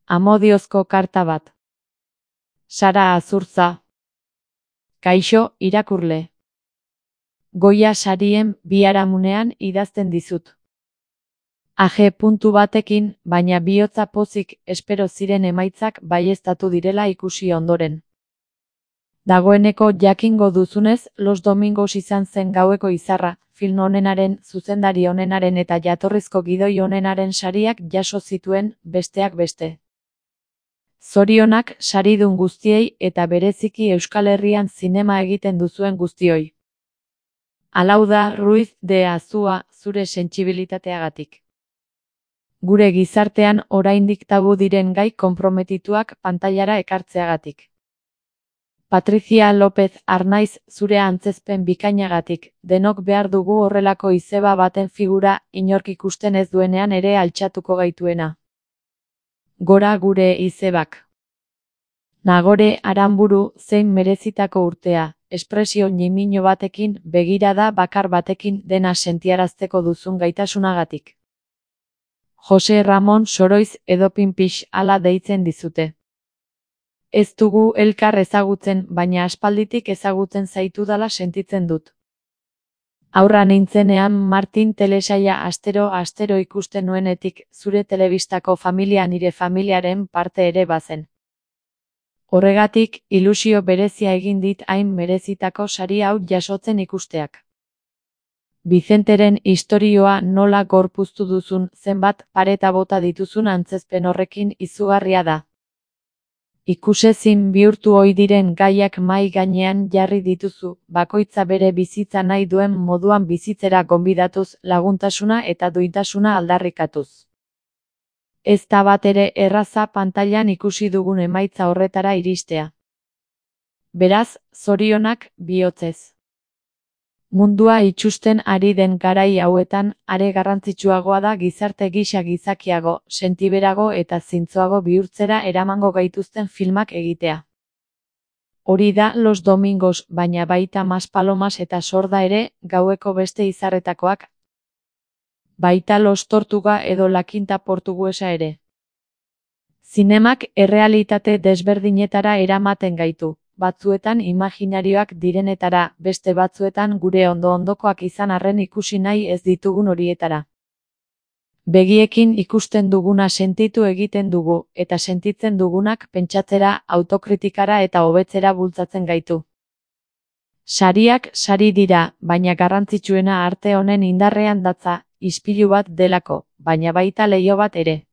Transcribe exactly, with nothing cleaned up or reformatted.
Amodiozko karta bat. Sara Azurtza. Kaixo, irakurle. Goia sarien biharamunean idazten dizut. Age puntu batekin, baina bihotza pozik espero ziren emaitzak baieztatu direla ikusi ondoren. Dagoeneko jakingo duzunez, Los Domingos izan zen gaueko izarra, film honenaren, zuzendari honenaren eta jatorrizko gidoi honenaren sariak jaso zituen, besteak beste. Zorionak saridun guztiei eta bereziki Euskal Herrian zinema egiten duzuen guztioi. Alauda Ruiz de Azua, zure sentsibilitateagatik. Gure gizartean oraindik tabu diren gai konprometituak pantailara ekartzeagatik. Patricia López Arnaiz, zure antzezpen bikainagatik, denok behar dugu horrelako izeba baten figura, inork ikusten ez duenean ere altxatuko gaituena. Gora gure izebak. Nagore Aranburu, zein merezitako urtea, espresio ñimino batekin, begirada bakar batekin dena sentiarazteko duzun gaitasunagatik. Jose Ramon Soroiz edo Pinpix hala deitzen dizute. Ez dugu elkar ezagutzen, baina aspalditik ezagutzen zaitudala sentitzen dut. Aurra nintzenean Martin telesaila astero-astero ikusten nuenetik, zure telebistako familia nire familiaren parte ere bazen. Horregatik, ilusio berezia egin dit hain merezitako sari hau jasotzen ikusteak. Vicenteren istorioa nola gorpuztu duzun, zenbat pareta bota dituzun antzezpen horrekin izugarria da. Ikusezin bihurtu ohi diren gaiak mahai gainean jarri dituzu, bakoitza bere bizitza nahi duen moduan bizitzera gonbidatuz, laguntasuna eta duintasuna aldarrikatuz. Ez da bat ere erraza pantailan ikusi dugun emaitza horretara iristea. Beraz, zorionak bihotzez. Mundua itsusten ari den garai hauetan, are garrantzitsuagoa da gizarte gisa gizakiago, sentiberago eta zintzoago bihurtzera eramango gaituzten filmak egitea. Hori da Los Domingos, baina baita Maspalomas eta Sorda ere, gaueko beste izarretakoak. Baita Los Tortuga edo La Quinta Portuguesa ere. Zinemak errealitate desberdinetara eramaten gaitu. Batzuetan imaginarioak direnetara, beste batzuetan gure ondo-ondokoak izan arren ikusi nahi ez ditugun horietara. Begiekin ikusten duguna sentitu egiten dugu, eta sentitzen dugunak pentsatzera, autokritikara eta hobetzera bultzatzen gaitu. Sariak sari dira, baina garrantzitsuena arte honen indarrean datza, ispilu bat delako, baina baita leiho bat ere.